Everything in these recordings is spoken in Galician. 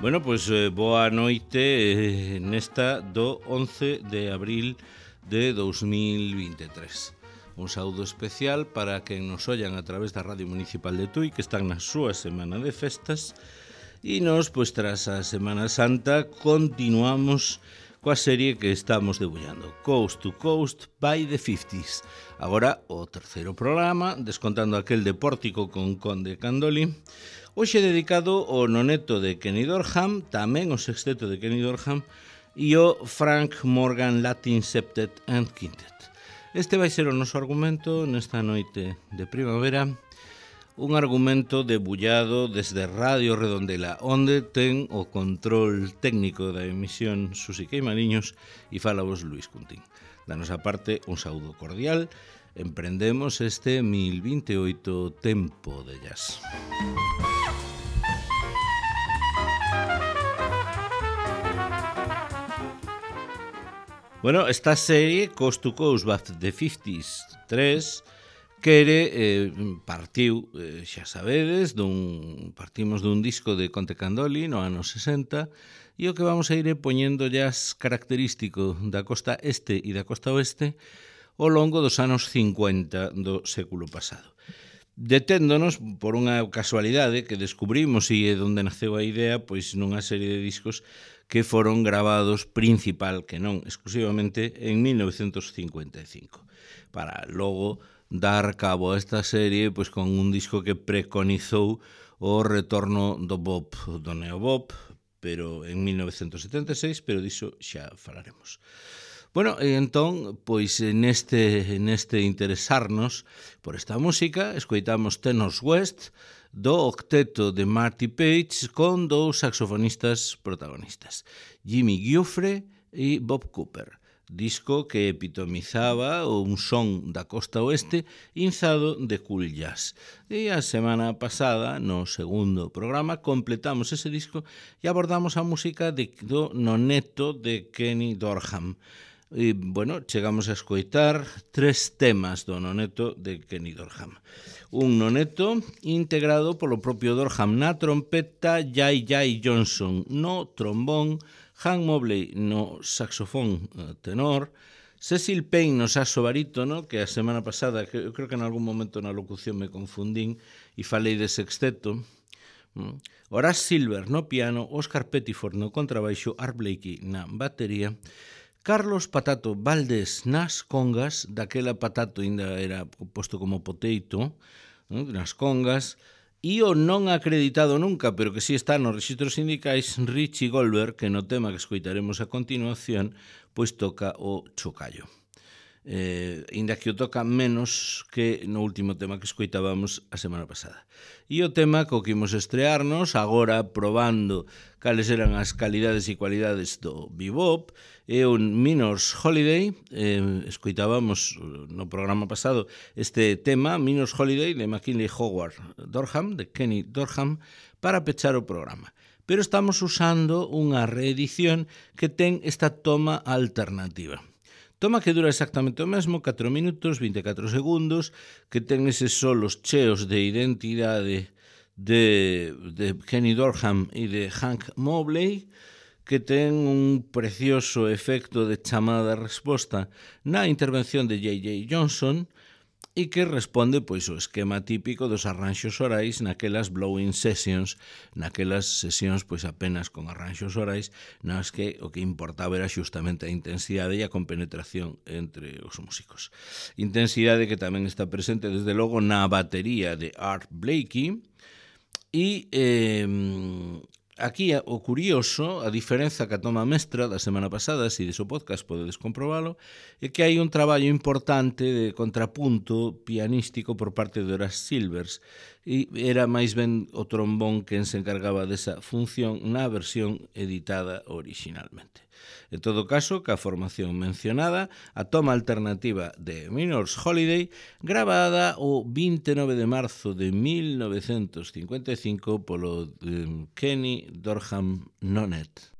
Bueno, pois boa noite nesta do 11 de abril de 2023. Un saúdo especial para quen nos ollan a través da Radio Municipal de Tui, que están na súa semana de festas, e nos, pois tras a Semana Santa, continuamos coa serie que estamos debullando, Coast to Coast by the 50s. Agora o terceiro programa, descontando aquel de Pórtico con Conde Candoli, hoxe dedicado ao noneto de Kenny Dorham, tamén o sexteto de Kenny Dorham, e o Frank Morgan Latin Septet and Quintet. Este vai ser o noso argumento nesta noite de primavera, un argumento debullado desde Radio Redondela, onde ten o control técnico da emisión Susi Queimaliños e fala vos Luis Cuntín. Da nosa parte, un saúdo cordial. Emprendemos este 1028 tempo de jazz. Bueno, esta serie, Coast to Coast by the 50s 3, quere, partiu, xa sabedes, partimos dun disco de Conte Candoli no ano 60, e o que vamos a ir poñendo jazz característico da costa este e da costa oeste ao longo dos anos 50 do século pasado. Deténdonos por unha casualidade que descubrimos e onde naceu a idea, pois nunha serie de discos que foron gravados principal, que non exclusivamente, en 1955, para logo dar cabo a esta serie pois con un disco que preconizou o retorno do bop, do neobop, pero en 1976, pero diso xa falaremos. Bueno, entón, pois neste interesarnos por esta música, escoitamos Tenors West do octeto de Marty Page con dous saxofonistas protagonistas, Jimmy Giuffre e Bob Cooper. Disco que epitomizaba un son da costa oeste inzado de cool jazz. E a semana pasada, no segundo programa, completamos ese disco e abordamos a música do noneto de Kenny Dorham. E, bueno, chegamos a escoitar 3 temas do noneto de Kenny Dorham. Un noneto integrado polo propio Dorham na trompeta, Jay Johnson no trombón, Hank Mobley no saxofón tenor, Cecil Payne no saxo barítono, que a semana pasada, eu creo que en algún momento na locución me confundín e falei de sexteto, Horace Silver no piano, Oscar Pettiford no contrabaixo, Art Blakey na batería, Carlos Patato Valdés nas congas, daquela Patato ainda era posto como poteito, nas congas, e o non acreditado nunca, pero que si está nos rexistros sindicais, Richie Goldberg, que no tema que escoitaremos a continuación, pois toca o chocallo. Inda que o toca menos que no último tema que escoitábamos a semana pasada. E o tema co que imos estrearnos, agora probando cales eran as calidades e cualidades do bebop, é un Minor's Holiday. Escoitábamos no programa pasado este tema, Minor's Holiday, de McKinley Howard Dorham, de Kenny Dorham, para pechar o programa. Pero estamos usando unha reedición que ten esta toma alternativa. Toma que dura exactamente o mesmo, 4 minutos, 24 segundos, que ten eses solos cheos de identidade de Kenny Dorham e de Hank Mobley, que ten un precioso efecto de chamada de resposta na intervención de Jay Johnson e que responde pois o esquema típico dos arranxos orais naquelas blowing sessions, naquelas sesións pois apenas con arranxos orais, nas que o que importaba era xustamente a intensidade e a compenetración entre os músicos. Intensidade que tamén está presente desde logo na batería de Art Blakey e aquí o curioso, a diferenza que a toma mestra da semana pasada, se deso podcast podedes comprobalo, é que hai un traballo importante de contrapunto pianístico por parte de Horace Silvers e era máis ben o trombón quen se encargaba desa función na versión editada originalmente. En todo caso, ca formación mencionada, a toma alternativa de Minor's Holiday, grabada o 29 de marzo de 1955 polo Kenny Dorham Nonet.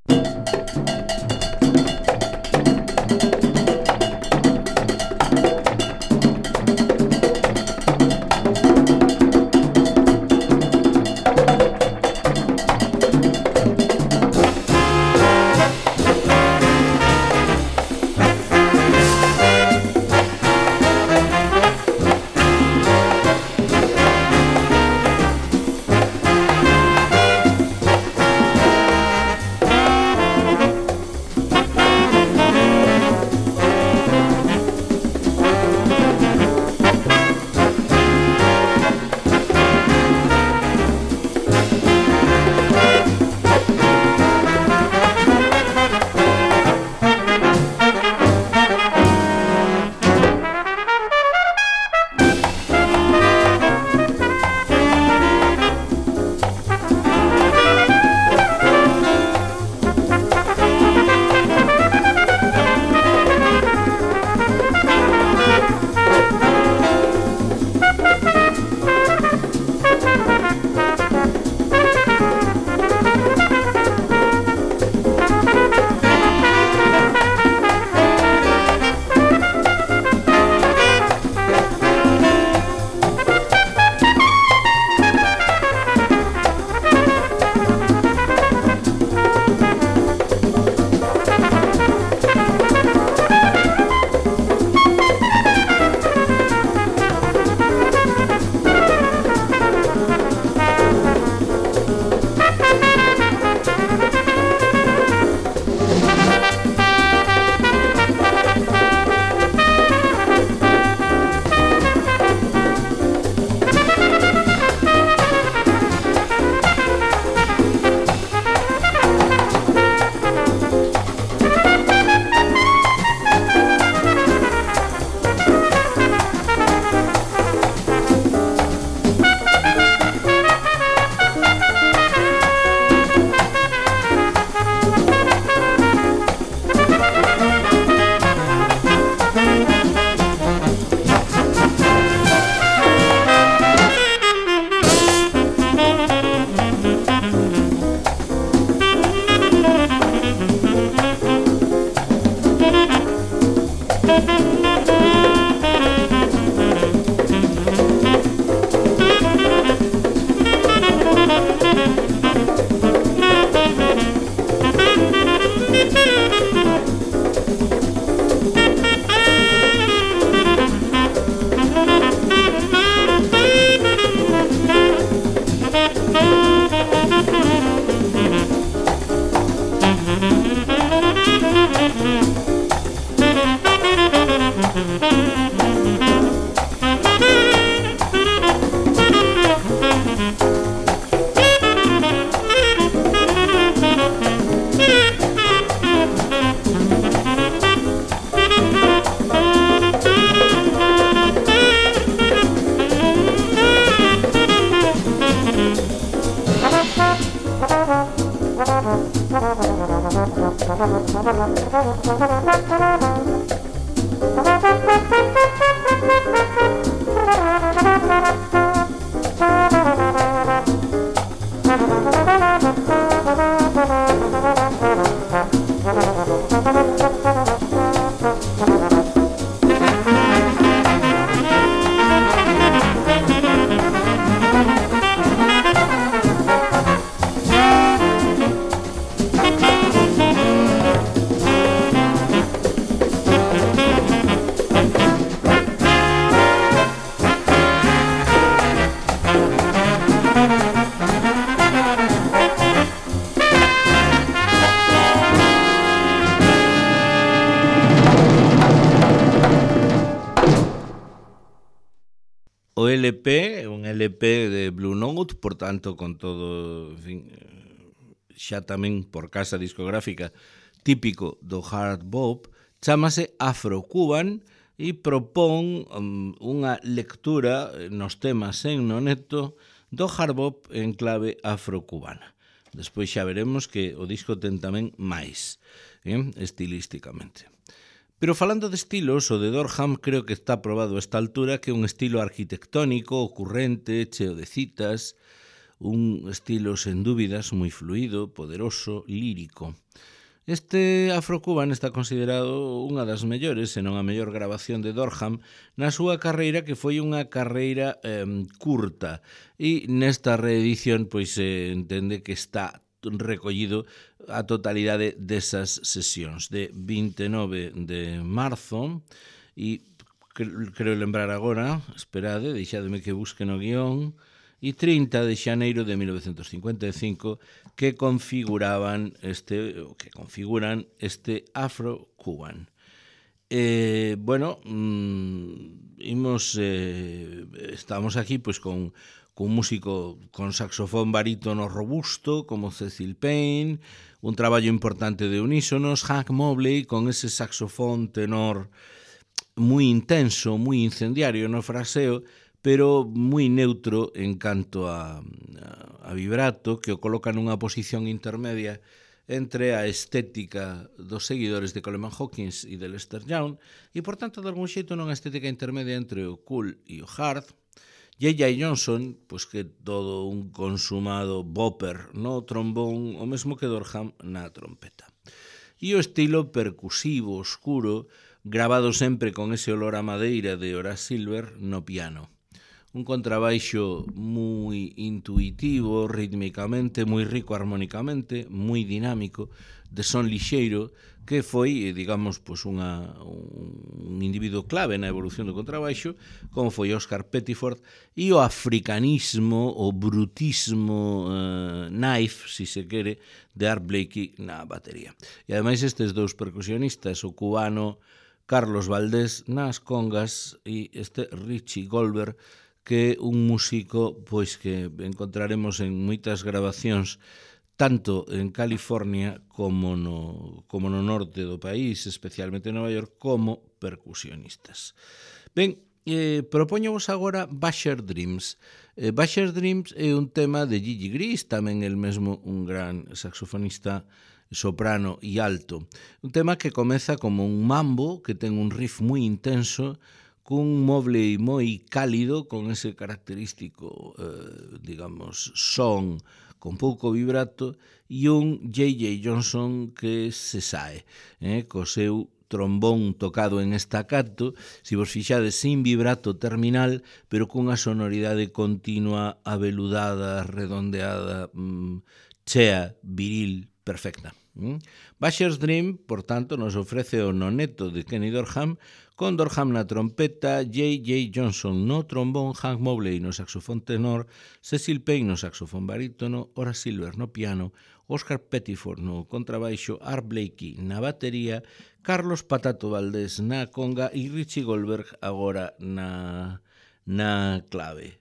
O LP é un LP de Blue Note, por tanto, con todo, en fin, xa tamén por casa discográfica típico do hard bop, chámase Afro-Cuban e propón unha lectura nos temas en noneto do hard bop en clave afro-cubana. Despois xa veremos que o disco ten tamén máis, estilísticamente. Pero falando de estilos, o de Dorham creo que está probado a esta altura que é un estilo arquitectónico, ocurrente, cheo de citas, un estilo sen dúbidas moi fluido, poderoso, lírico. Este Afro-Cuban está considerado unha das mellores, se non a mellor grabación de Dorham na súa carreira, que foi unha carreira curta, e nesta reedición pois se entende que está recollido a totalidade desas sesións de 29 de marzo e creo lembrar agora, esperade, deixademe que busque no guión, e 30 de xaneiro de 1955 que configuran este Afro-Cuban. Estamos aquí pois con un músico con saxofón barítono robusto como Cecil Payne, un traballo importante de unísonos, Hank Mobley con ese saxofón tenor moi intenso, moi incendiario no fraseo, pero moi neutro en canto a vibrato, que o coloca nunha posición intermedia entre a estética dos seguidores de Coleman Hawkins e de Lester Young, e, por tanto, de algún xeito nunha estética intermedia entre o cool e o hard. J.J. Johnson, pois que todo un consumado bopper no trombón, o mesmo que Dorham na trompeta. E o estilo percusivo, oscuro, grabado sempre con ese olor a madeira de Horace Silver no piano. Un contrabaixo moi intuitivo, rítmicamente, moi rico armónicamente, moi dinámico, de son lixeiro, que foi, digamos, pois un individuo clave na evolución do contrabaixo, como foi Oscar Pettiford, e o africanismo, o brutismo knife, si se quere, de Art Blakey na batería. E ademais estes dous percusionistas, o cubano Carlos Valdés nas congas e este Richie Goldberg, que é un músico pois que encontraremos en moitas grabacións tanto en California como no norte do país, especialmente en Nova York, como percusionistas. Ben, propóñovos agora Basher Dreams. Basher Dreams é un tema de Gigi Gris, tamén el mesmo un gran saxofonista soprano e alto. Un tema que comeza como un mambo, que ten un riff moi intenso, cun moble moi cálido, con ese característico, digamos, son con pouco vibrato, e un J.J. Johnson que se sae, co seu trombón tocado en estacato, se vos fixades sin vibrato terminal, pero cunha sonoridade continua, aveludada, redondeada, chea, viril, perfecta. Basher's Dream, por tanto, nos ofrece o noneto de Kenny Dorham, con Dorham na trompeta, J.J. Johnson no trombón, Hank Mobley no saxofón tenor, Cecil Payne no saxofón barítono, Horace Silver no piano, Oscar Pettiford no contrabaixo, Art Blakey na batería, Carlos Patato Valdés na conga e Richie Goldberg agora na clave.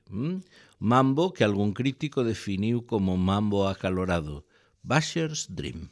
Mambo que algún crítico definiu como mambo acalorado. Basher's Dream.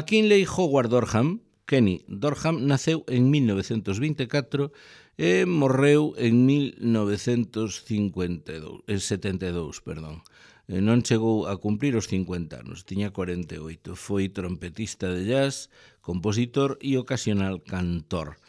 McKinley Howard Dorham, Kenny Dorham, naceu en 1924 e morreu en 1972, perdón. Non chegou a cumprir os 50 anos, tiña 48. Foi trompetista de jazz, compositor e ocasional cantor.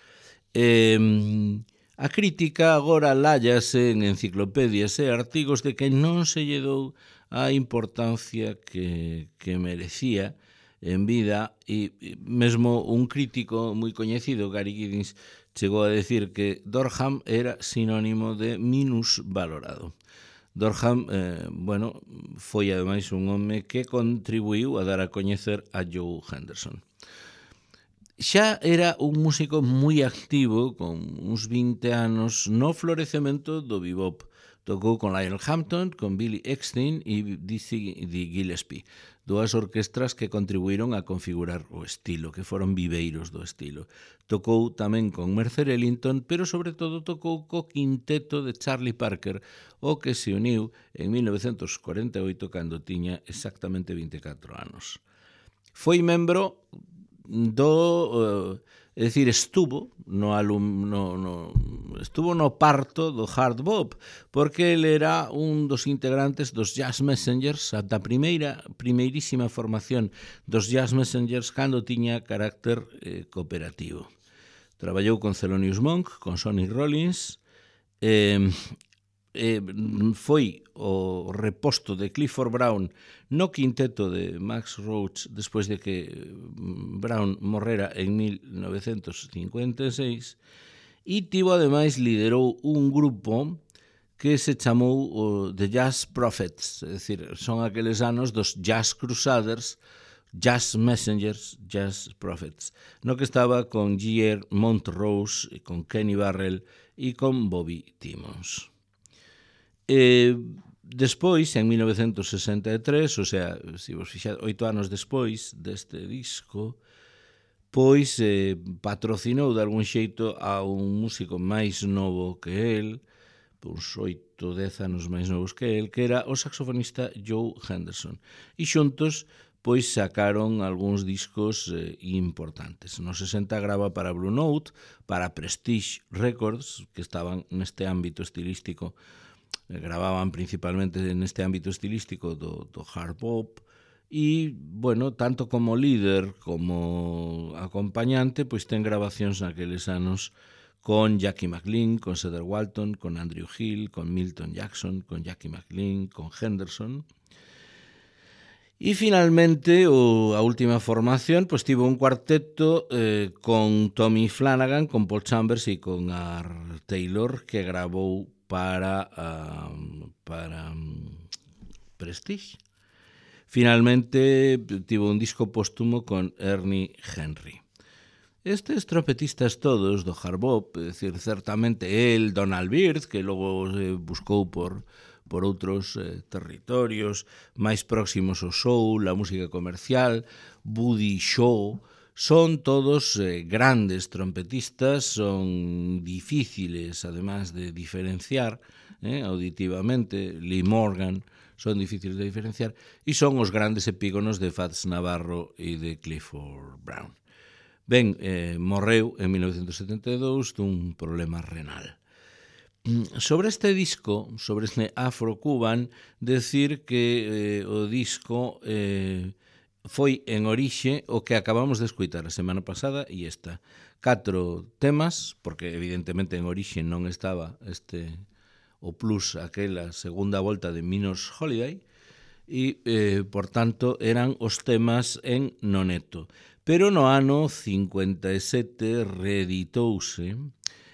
A crítica agora lállase en enciclopedias e artigos de que non se lle dou a importancia que merecía en vida, e mesmo un crítico moi coñecido, Gary Giddins, chegou a decir que Dorham era sinónimo de minusvalorado. Dorham, foi ademais un home que contribuiu a dar a coñecer a Joe Henderson. Xa era un músico moi activo, con uns 20 anos, no florecemento do bebop. Tocou con Lionel Hampton, con Billy Eckstine e Dizzy Gillespie, dúas orquestras que contribuíron a configurar o estilo, que foron viveiros do estilo. Tocou tamén con Mercer Ellington, pero sobre todo tocou co quinteto de Charlie Parker, o que se uniu en 1948 cando tiña exactamente 24 anos. Foi membro do... estuvo no parto do hard bop, porque ele era un dos integrantes dos Jazz Messengers, da primeirísima formación dos Jazz Messengers cando tiña carácter cooperativo. Traballou con Thelonious Monk, con Sonny Rollins, foi o reposto de Clifford Brown no quinteto de Max Roach despois de que Brown morrera en 1956 e liderou un grupo que se chamou The Jazz Prophets, é dicir, son aqueles anos dos Jazz Crusaders, Jazz Messengers, Jazz Prophets, no que estaba con J.R. Montrose, con Kenny Barrell e con Bobby Timmons. Despois, en 1963, o sea, se vos fixades, 8 anos despois deste disco, pois patrocinou de algún xeito a un músico máis novo que el, uns 8-10 anos máis novos que el, que era o saxofonista Joe Henderson. E xuntos, pois sacaron algúns discos importantes. No 60 grava para Blue Note, para Prestige Records, que estaban neste ámbito estilístico, gravaban principalmente neste ámbito estilístico do hard bop, e, bueno, tanto como líder como acompañante, pois ten grabacións naqueles anos con Jackie McLean, con Cedar Walton, con Andrew Hill, con Milton Jackson, con Jackie McLean, con Henderson. E finalmente, a última formación, pois tivo un cuarteto con Tommy Flanagan, con Paul Chambers e con Art Taylor, que gravou para Prestige. Finalmente tivo un disco póstumo con Ernie Henry. Estes trompetistas todos do hard bop, é dicir, certamente el, Donald Byrd, que logo buscou por outros territorios máis próximos ao soul, a música comercial, Buddy Shaw, son todos grandes trompetistas, son difíciles, además de diferenciar auditivamente. Lee Morgan, son difíciles de diferenciar, e son os grandes epígonos de Fats Navarro e de Clifford Brown. Ben, morreu en 1972 dun problema renal. Sobre este disco, sobre este Afro-Cuban, decir que o disco foi en orixe o que acabamos de escoitar a semana pasada e esta. 4 temas, porque evidentemente en orixe non estaba o plus, aquela segunda volta de Minos Holiday, e, por tanto, eran os temas en noneto. Pero no ano 57 reeditouse,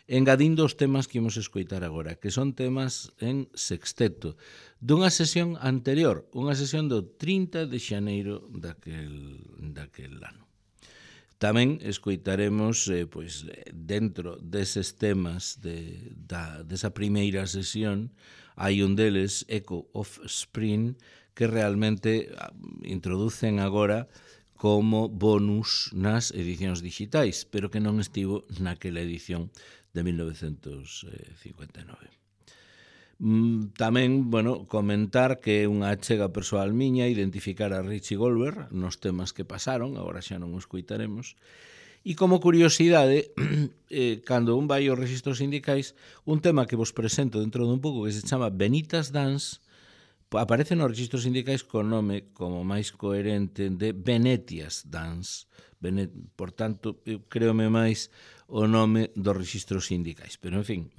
engadindo os temas que imos escoitar agora, que son temas en sexteto, dunha sesión anterior, unha sesión do 30 de xaneiro daquel ano. Tamén escoitaremos, pois, dentro deses temas desa primeira sesión, hai un deles, Echo of Spring, que realmente introducen agora como bonus nas edicións digitais, pero que non estivo naquela edición de 1959. Tamén, comentar que é unha achega persoal miña identificar a Richie Goldberg nos temas que pasaron, agora xa non o escoitaremos, e como curiosidade, cando un vai aos registros sindicais, un tema que vos presento dentro dun pouco que se chama Benita's Dance, aparece nos registros sindicais con nome como máis coherente de Venetia's Dance. Por tanto, eu creome máis o nome dos registros sindicais. Pero, en fin,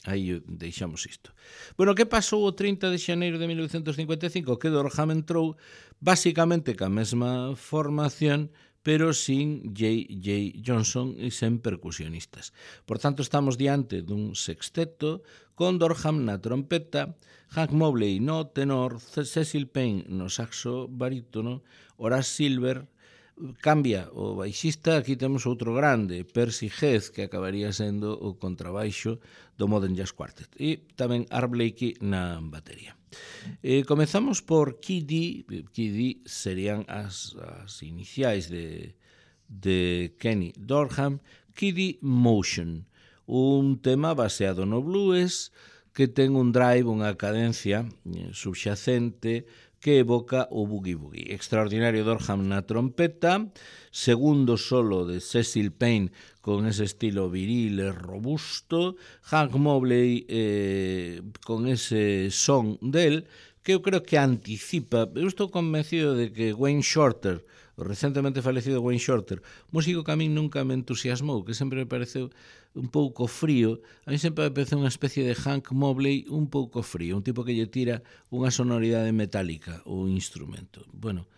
aí deixamos isto. Bueno, que pasou o 30 de xaneiro de 1955? Que Dorham entrou basicamente ca mesma formación, pero sin J.J. Johnson e sen percusionistas. Por tanto, estamos diante dun sexteto con Dorham na trompeta, Hank Mobley no tenor, Cecil Payne no saxo barítono, Horace Silver. Cambia o baixista, aquí temos outro grande, Percy Heath, que acabaría sendo o contrabaixo do Modern Jazz Quartet, e tamén Art Blakey na batería. Comezamos por Kiddy. Kiddy serían as iniciais de Kenny Dorham. Kiddy Motion, un tema baseado no blues que ten un drive, unha cadencia subxacente que evoca o boogie-boogie. Extraordinario Dorham na trompeta, segundo solo de Cecil Payne con ese estilo viril e robusto, Hank Mobley con ese son del, que eu creo que anticipa. Eu estou convencido de que Wayne Shorter, o recentemente falecido Wayne Shorter, músico que a min nunca me entusiasmou, que sempre me pareceu un pouco frío, a mí sempre me pareceu unha especie de Hank Mobley un pouco frío, un tipo que lle tira unha sonoridade metálica o instrumento. Bueno,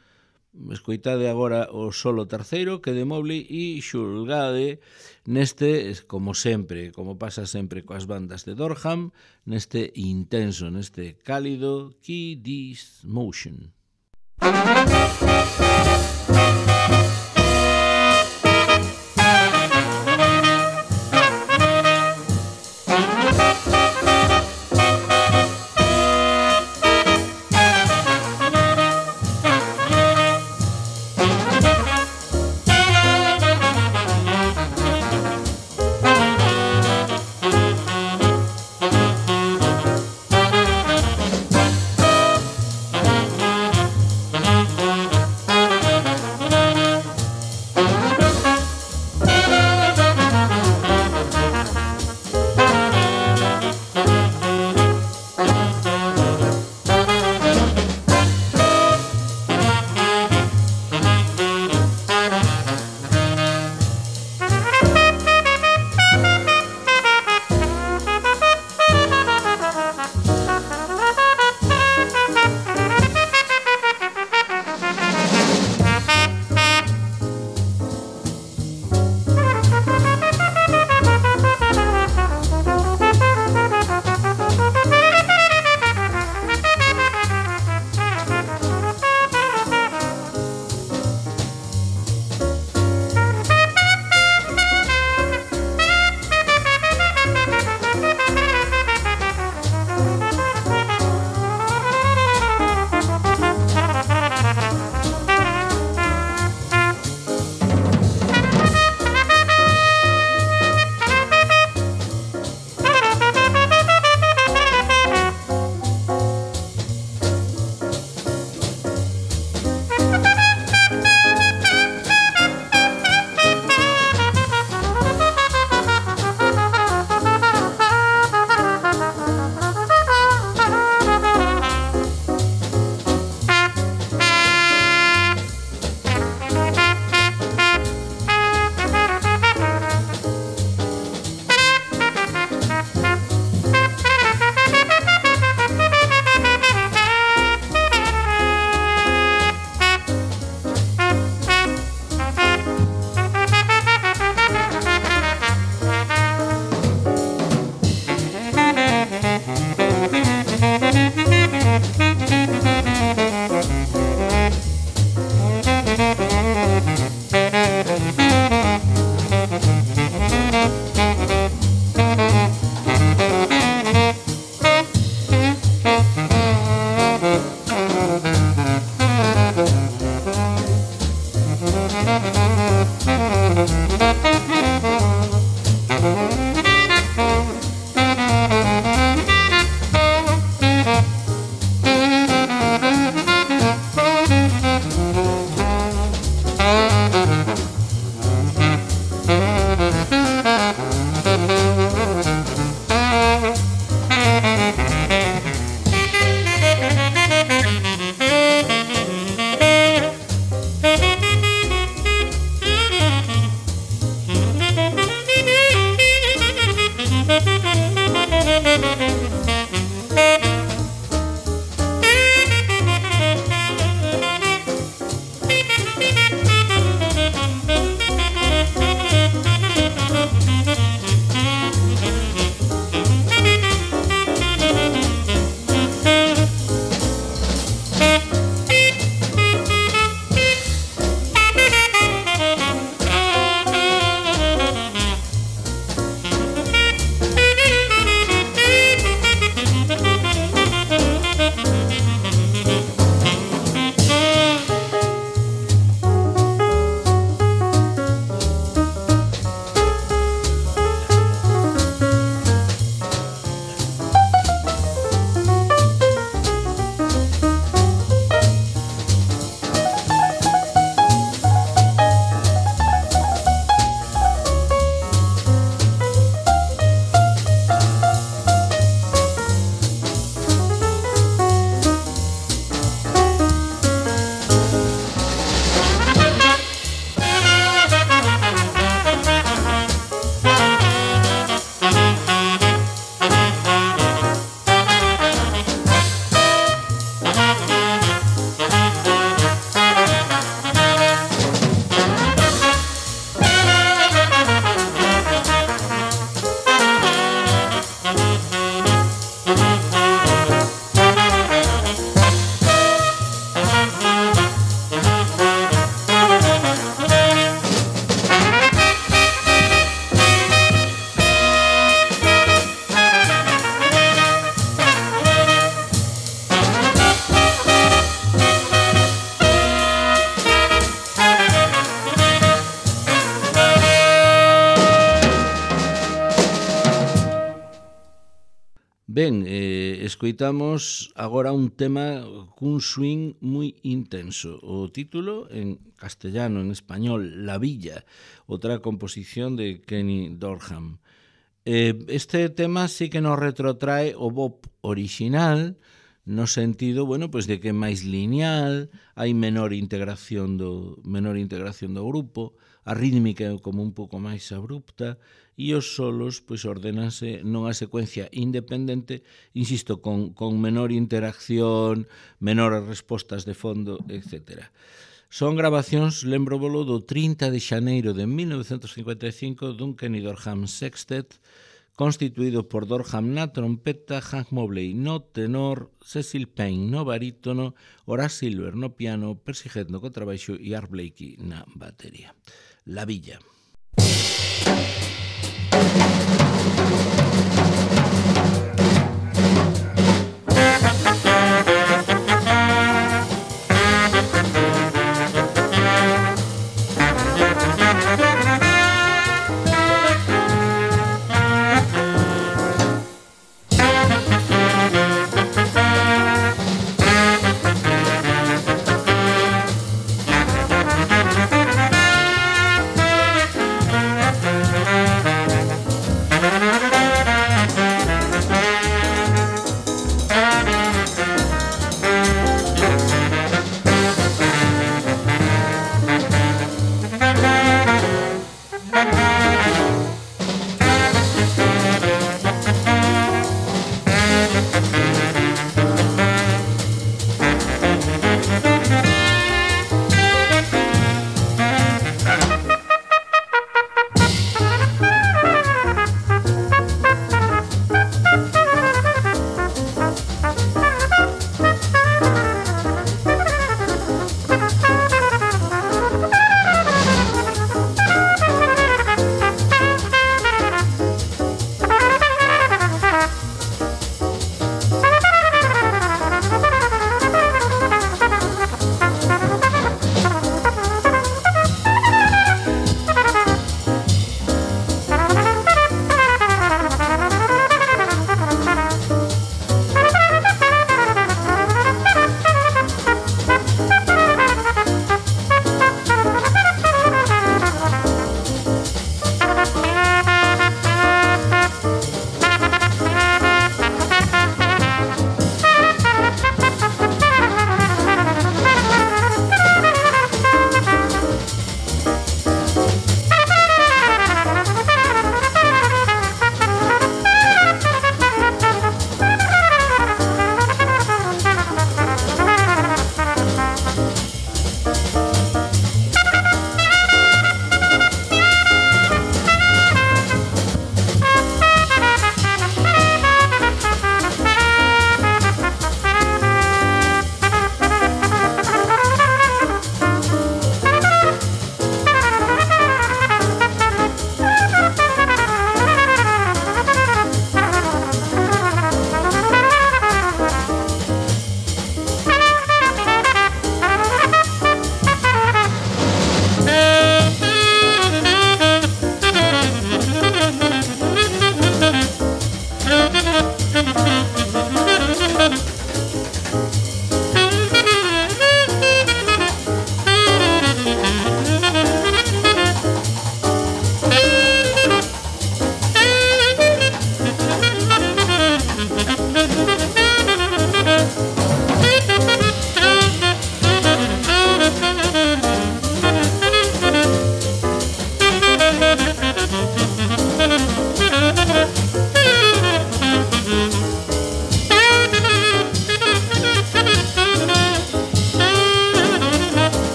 escoitade agora o solo terceiro que de Mobley e xulgade neste, como sempre, como pasa sempre coas bandas de Dorham, neste intenso, neste cálido Kiddy's Motion. Ben, escoitamos agora un tema cun swing moi intenso. O título en castellano, en español, La Villa, outra composición de Kenny Dorham. Este tema sí que nos retrotrae o bop original, no sentido, bueno, pois de que é máis lineal, hai menor integración do grupo, a rítmica é como un pouco máis abrupta e os solos pois ordenanse nunha secuencia independente, insisto, con menor interacción, menores respostas de fondo, etc. Son grabacións, lembrovolo, do 30 de xaneiro de 1955 dun Kenny Dorham Sextet, constituído por Dorham na trompeta, Hank Mobley no tenor, Cecil Payne no barítono, Horace Silver no piano, Percy Heath no contrabaixo e Art Blakey na batería. La Villa.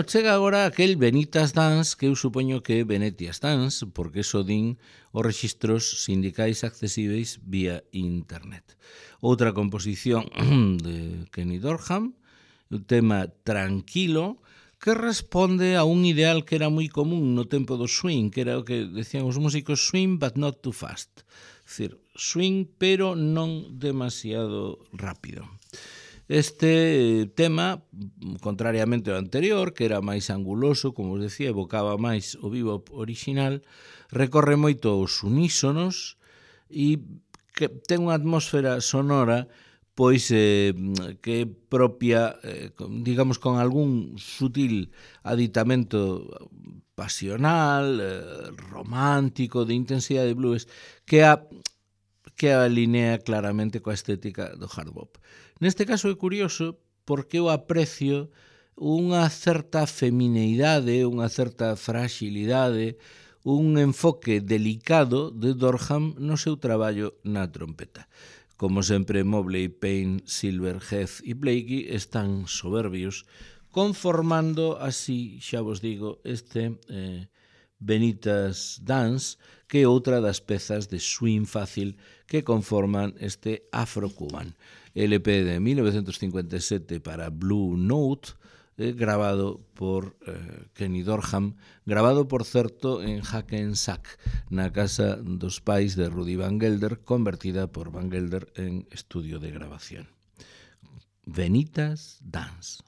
chega agora aquel Venitas Dance, que eu supoño que é Venetias Dance, porque eso din os rexistros sindicais accesíveis vía internet. Outra composición de Kenny Dorham, un tema tranquilo, que responde a un ideal que era moi común no tempo do swing, que era o que decían os músicos, swing but not too fast. É dicir, swing pero non demasiado rápido. Este tema, contrariamente ao anterior, que era máis anguloso, como os decía, evocaba máis o bebop original, recorre moito aos unísonos e que ten unha atmósfera sonora pois que é propia, digamos, con algún sutil aditamento pasional, romántico, de intensidade de blues, que alinea claramente coa estética do hard bop. Neste caso é curioso porque eu aprecio unha certa femineidade, unha certa fragilidade, un enfoque delicado de Dorham no seu traballo na trompeta. Como sempre, Mobley, Payne, Silver, Heath e Blakey están soberbios, conformando así, xa vos digo, este Venitas Dance, que é outra das pezas de swing fácil que conforman este Afro-Cuban. LP de 1957 para Blue Note, grabado por Kenny Dorham, grabado, por certo, en Hackensack, na casa dos pais de Rudy Van Gelder, convertida por Van Gelder en estudio de grabación. Venitas Dance.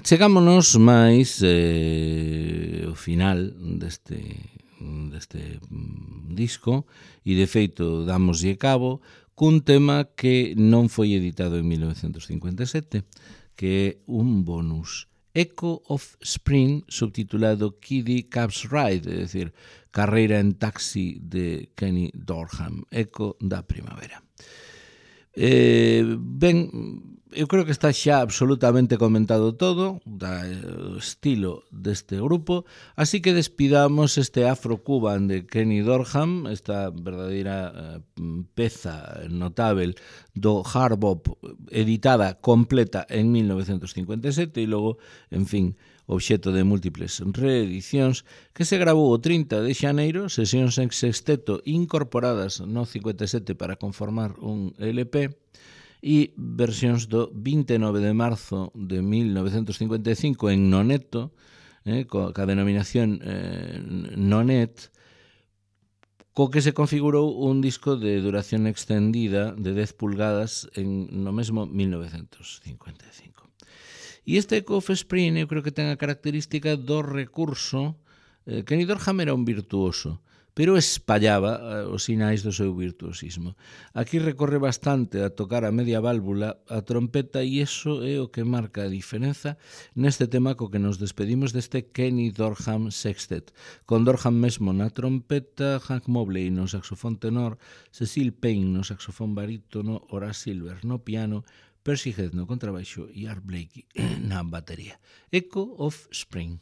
Chegámonos máis ao final deste disco e, de feito, damoslle cabo cun tema que non foi editado en 1957, que é un bonus, Echo of Spring, subtitulado Kiddie Cab's Ride, é dicir, Carreira en Taxi de Kenny Dorham, Eco da Primavera. Ben, eu creo que está xa absolutamente comentado todo do estilo deste grupo, así que despidamos este Afro-Cuban de Kenny Dorham, esta verdadeira peza notável do hard bop, editada completa en 1957 e logo, en fin, obxeto de múltiples reedicións, que se grabou o 30 de xaneiro, sesións en sexteto incorporadas no 57 para conformar un LP, e versións do 29 de marzo de 1955 en Noneto, ca denominación Nonet, co que se configurou un disco de duración extendida de 10 pulgadas no mesmo 1955. E este Echo of Spring eu creo que ten a característica do recurso. Kenny Dorham era un virtuoso, pero espallaba os sinais do seu virtuosismo. Aquí recorre bastante a tocar a media válvula, a trompeta, e iso é o que marca a diferenza neste tema co que nos despedimos deste Kenny Dorham Sextet, con Dorham mesmo na trompeta, Hank Mobley no saxofón tenor, Cecil Payne no saxofón barítono, Horace Silver no piano, Percy Heath no contrabaixo e Art Blakey na batería. Echo of Spring.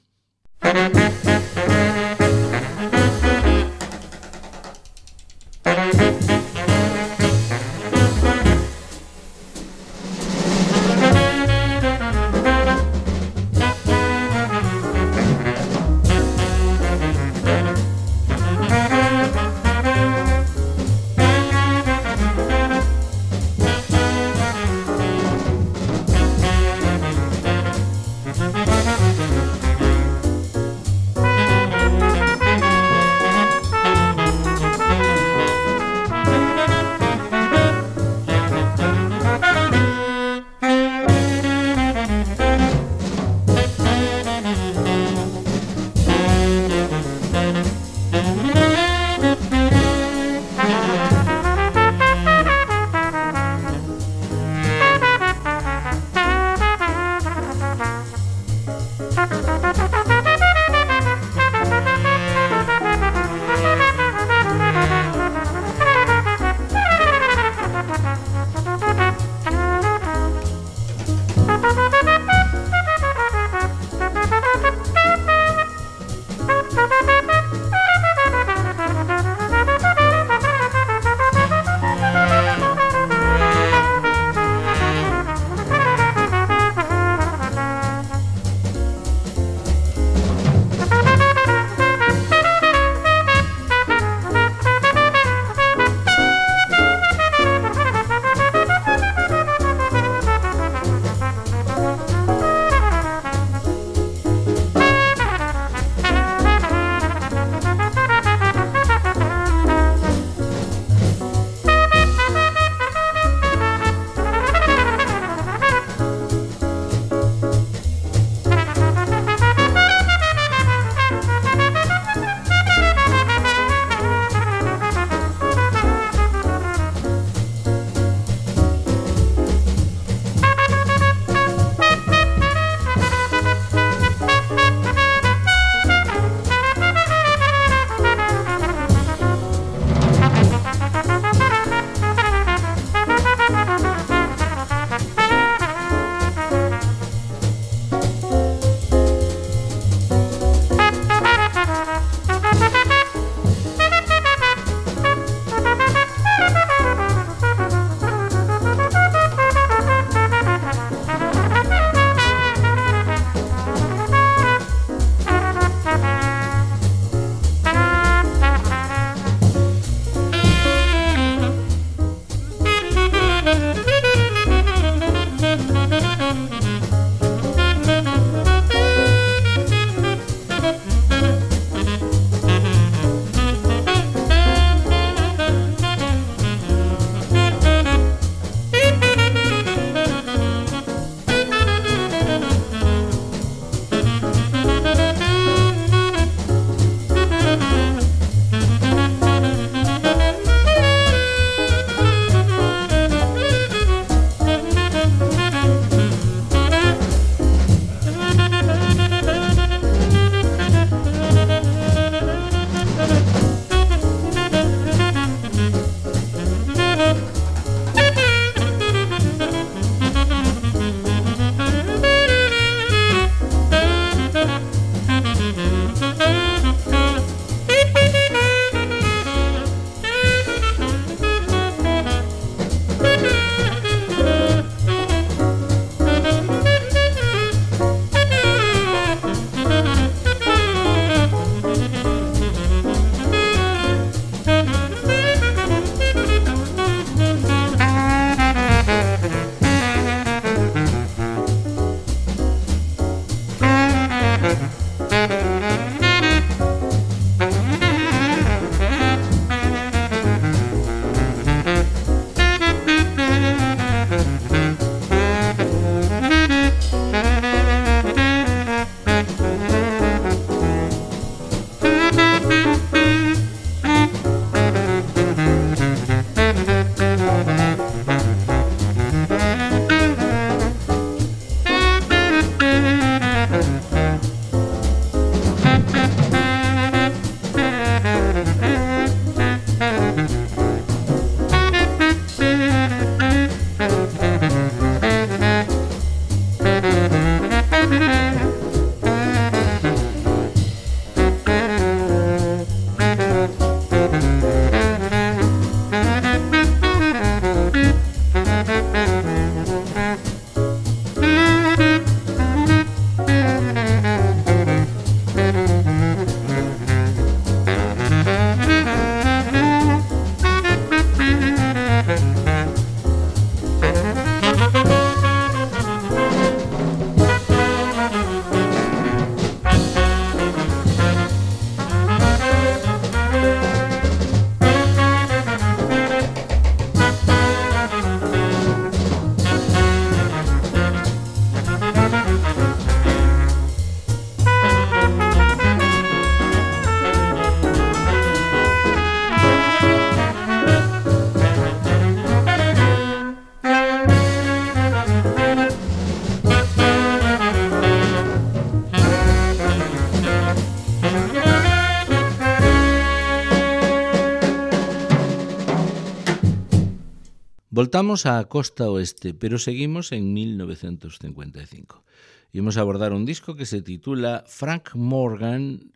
Voltamos á costa oeste, pero seguimos en 1955. Imos abordar un disco que se titula Frank Morgan,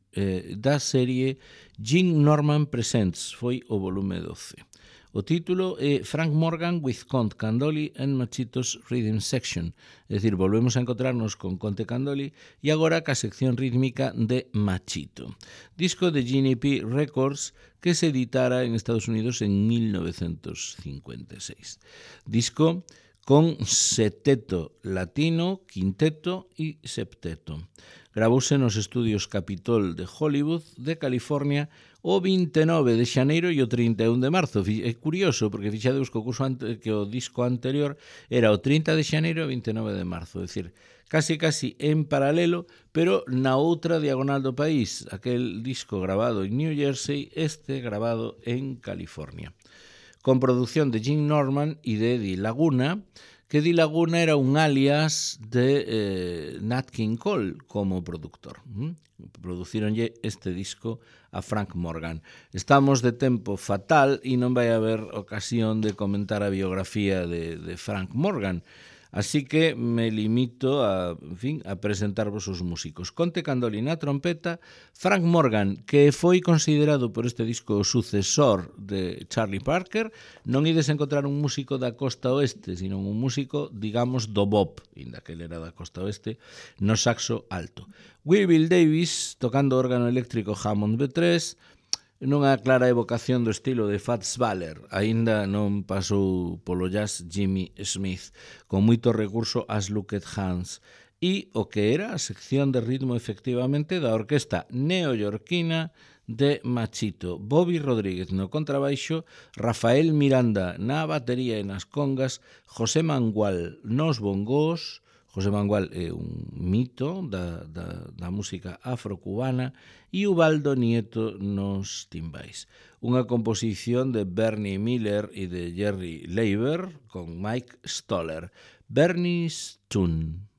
da serie Gene Norman Presents, foi o volume 12. O título é Frank Morgan with Conte Candoli and Machitos Rhythm Section, é dicir, volvemos a encontrarnos con Conte Candoli e agora ca sección rítmica de Machito. Disco de GNP Records que se editara en Estados Unidos en 1956. Disco con seteto latino, quinteto e septeto. Gravouse nos estudios Capitol de Hollywood, de California, o 29 de xaneiro e o 31 de marzo. É curioso, porque fixadeus que o disco anterior era o 30 de xaneiro e o 29 de marzo. É dicir, casi en paralelo, pero na outra diagonal do país. Aquel disco grabado en New Jersey, este grabado en California. Con producción de Gene Norman e de Eddie Laguna, que Eddie Laguna era un alias de Nat King Cole como productor. Producironlle este disco a Frank Morgan. Estamos de tempo fatal e non vai haber ocasión de comentar a biografía de Frank Morgan. Así que me limito a presentarvos os músicos. Conte Candoli na trompeta, Frank Morgan, que foi considerado por este disco o sucesor de Charlie Parker. Non ides encontrar un músico da costa oeste, sino un músico, digamos, do bop, inda que ele era da costa oeste, no saxo alto. Will Davis, tocando órgano eléctrico Hammond B3, nunha clara evocación do estilo de Fats Waller, aínda non pasou polo jazz Jimmy Smith, con moito recurso ás Looked Hands, e o que era a sección de ritmo efectivamente da orquesta neoyorquina de Machito. Bobby Rodríguez no contrabaixo, Rafael Miranda na batería e nas congas, José Mangual nos bongós. José Mangual é un mito da música afrocubana e Ubaldo Nieto nos timbais. Unha composición de Bernie Miller e de Jerry Leiber con Mike Stoller. Bernie's Tune.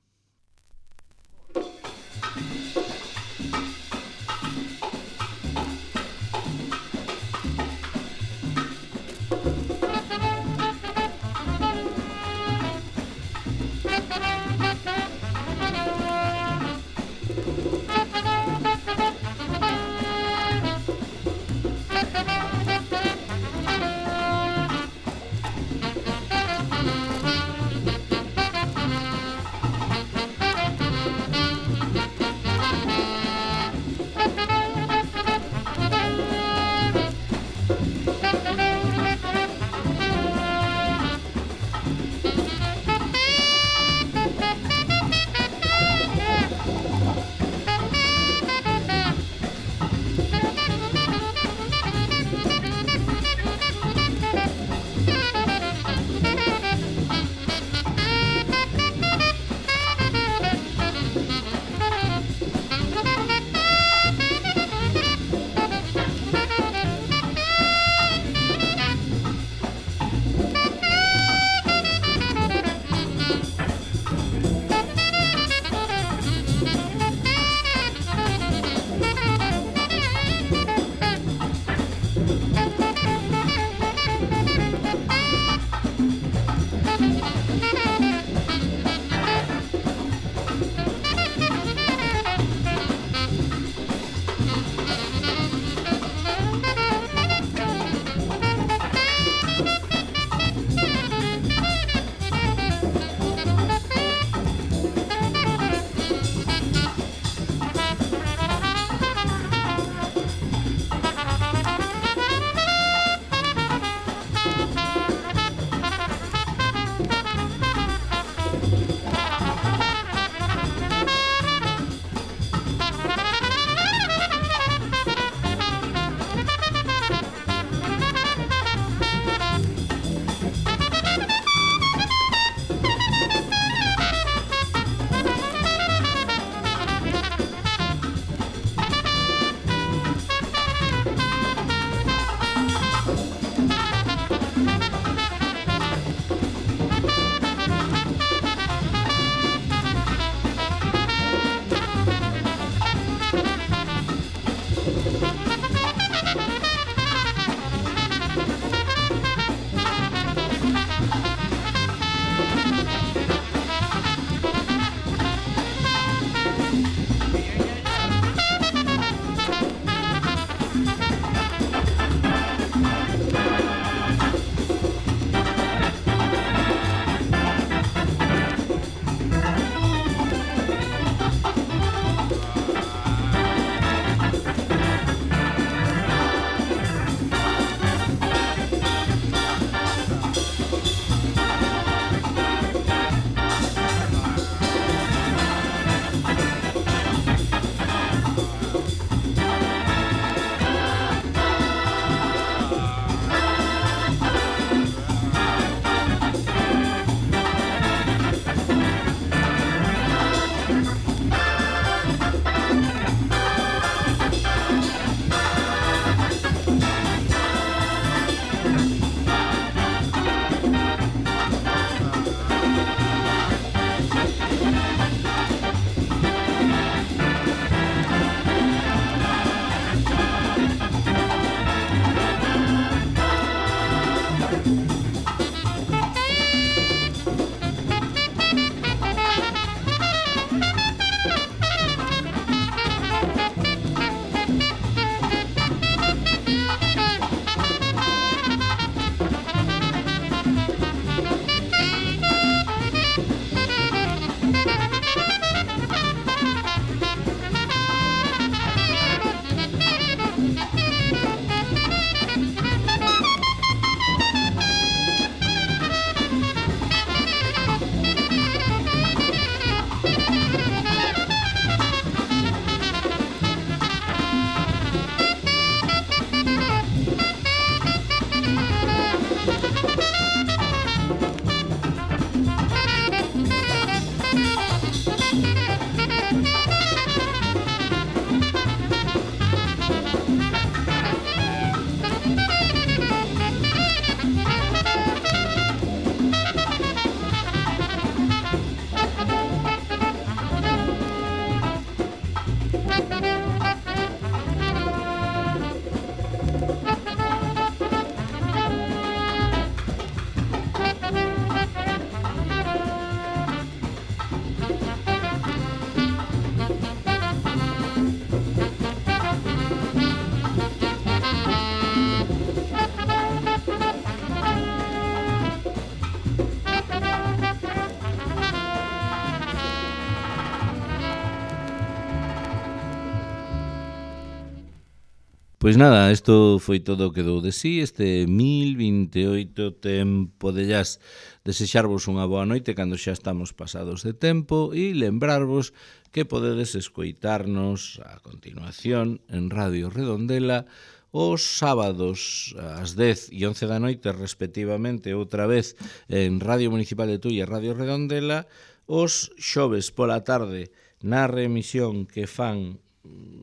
Pois nada, isto foi todo o que dou de sí, este 1028 tempo de jazz. Desexarvos unha boa noite cando xa estamos pasados de tempo e lembrarvos que podedes escoitarnos a continuación en Radio Redondela os sábados ás 10 e 11 da noite respectivamente, outra vez en Radio Municipal de Tui e Radio Redondela, os xoves pola tarde na remisión que fan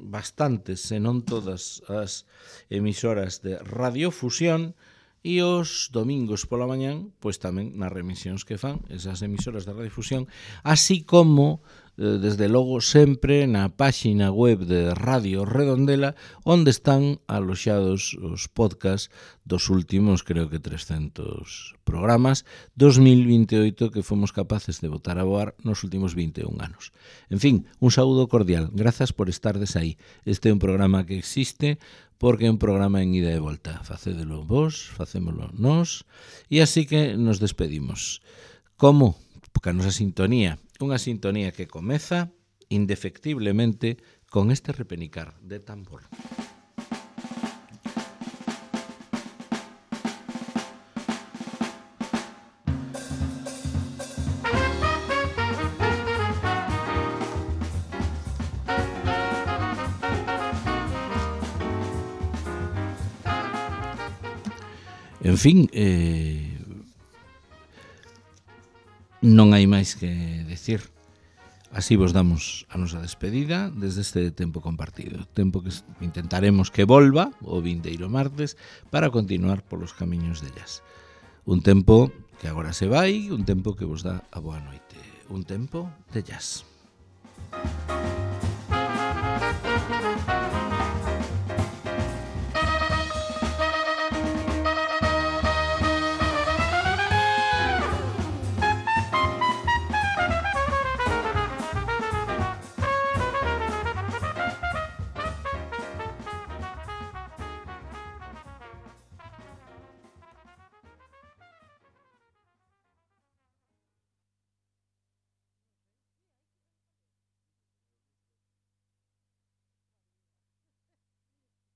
bastantes, se non todas as emisoras de Radiofusión, e os domingos pola mañán, pois tamén nas remisións que fan esas emisoras de Radiofusión, así como desde logo sempre na páxina web de Radio Redondela, onde están aloxados os podcasts dos últimos, creo que 300 programas, 2028 que fomos capaces de botar a voar nos últimos 21 anos. En fin, un saúdo cordial, grazas por estardes aí. Este é un programa que existe porque é un programa en ida e volta. Facédelo vos, facémolo nós, e así que nos despedimos. Como? Porque a nosa sintonía, unha sintonía que comeza indefectiblemente con este repenicar de tambor. En fin, non hai máis que decir. Así vos damos a nosa despedida desde este tempo compartido. Tempo que intentaremos que volva o vindeiro martes para continuar polos camiños de jazz. Un tempo que agora se vai, un tempo que vos dá a boa noite. Un tempo de jazz.